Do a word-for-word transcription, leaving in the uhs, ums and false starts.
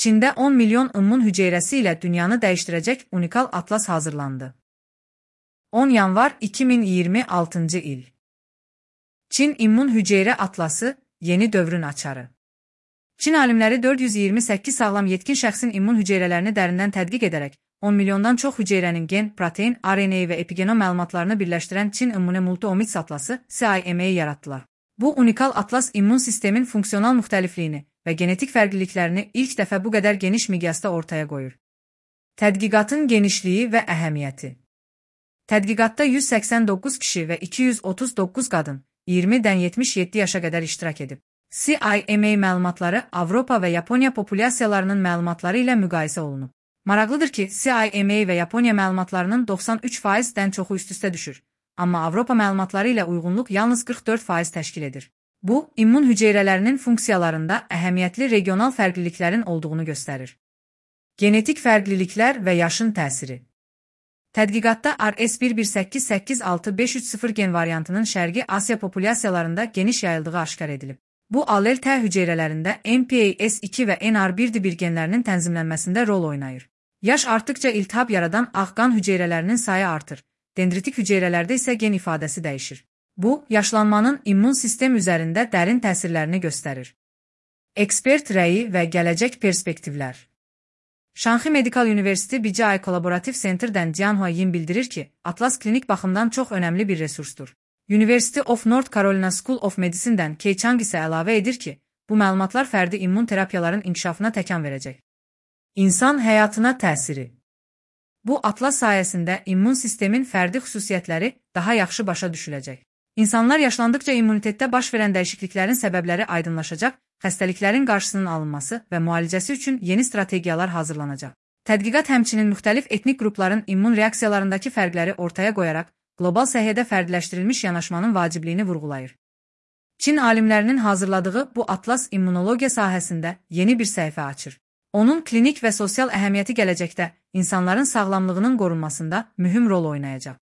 Çində on milyon immun hüceyrəsi ilə dünyanı dəyişdirəcək unikal atlas hazırlandı. on yanvar iki min iyirmi altıncı il. Çin immun hüceyrə atlası yeni dövrün açarı. Çin alimləri dörd yüz iyirmi səkkiz sağlam yetkin şəxsin immun hüceyrələrini dərindən tədqiq edərək on milyondan çox hüceyrənin gen, protein, R N A və epigenom məlumatlarını birləşdirən Çin İmmune Multi-Omics atlası C I M A-yı yaratdılar. Bu unikal atlas immun sistemin funksional müxtəlifliyini və genetik fərqliliklərini ilk dəfə bu qədər geniş miqyasda ortaya qoyur. Tədqiqatın genişliyi və əhəmiyyəti. Tədqiqatda yüz səksən doqquz kişi və iki yüz otuz doqquz qadın iyirmidən yetmiş yeddi yaşa qədər iştirak edib. C I M A məlumatları Avropa və Yaponiya populyasiyalarının məlumatları ilə müqayisə olunub. Maraqlıdır ki, C I M A və Yaponiya məlumatlarının doxsan üç faizdən çoxu üst-üstə düşür, amma Avropa məlumatları ilə uyğunluq yalnız qırx dörd faiz təşkil edir. Bu, immun hüceyrələrinin funksiyalarında əhəmiyyətli regional fərqliliklərin olduğunu göstərir. Genetik fərqliliklər və yaşın təsiri. Tədqiqatda R S bir bir səkkiz səkkiz altı beş üç sıfır gen variantının Şərqi Asiya populyasiyalarında geniş yayıldığı aşkar edilib. Bu, allel T hüceyrələrində M P A S iki və N R bir bir genlərinin tənzimlənməsində rol oynayır. Yaş artdıqca iltihab yaradan ağ qan hüceyrələrinin sayı artır, dendritik hüceyrələrdə isə gen ifadəsi dəyişir. Bu, yaşlanmanın immun sistem üzərində dərin təsirlərini göstərir. Ekspert rəyi və gələcək perspektivlər. Şanxi Medical University B C I Collaborative Center'dən Jianhua Yin bildirir ki, atlas klinik baxımdan çox önəmli bir resursdur. University of North Carolina School of Medicine'dən Kei Chang isə əlavə edir ki, bu məlumatlar fərdi immun terapiyaların inkişafına təkan verəcək. İnsan həyatına təsiri. Bu atlas sayəsində immun sistemin fərdi xüsusiyyətləri daha yaxşı başa düşüləcək. İnsanlar yaşlandıqca immunitetdə baş verən dəyişikliklərin səbəbləri aydınlaşacaq, xəstəliklərin qarşısının alınması və müalicəsi üçün yeni strategiyalar hazırlanacaq. Tədqiqat həmçinin müxtəlif etnik qrupların immun reaksiyalarındakı fərqləri ortaya qoyaraq, qlobal səhiyyədə fərdiləşdirilmiş yanaşmanın vacibliyini vurğulayır. Çin alimlərinin hazırladığı bu atlas immunologiya sahəsində yeni bir səhifə açır. Onun klinik və sosial əhəmiyyəti gələcəkdə insanların sağlamlığının qorunmasında mühüm rol oynayacaq.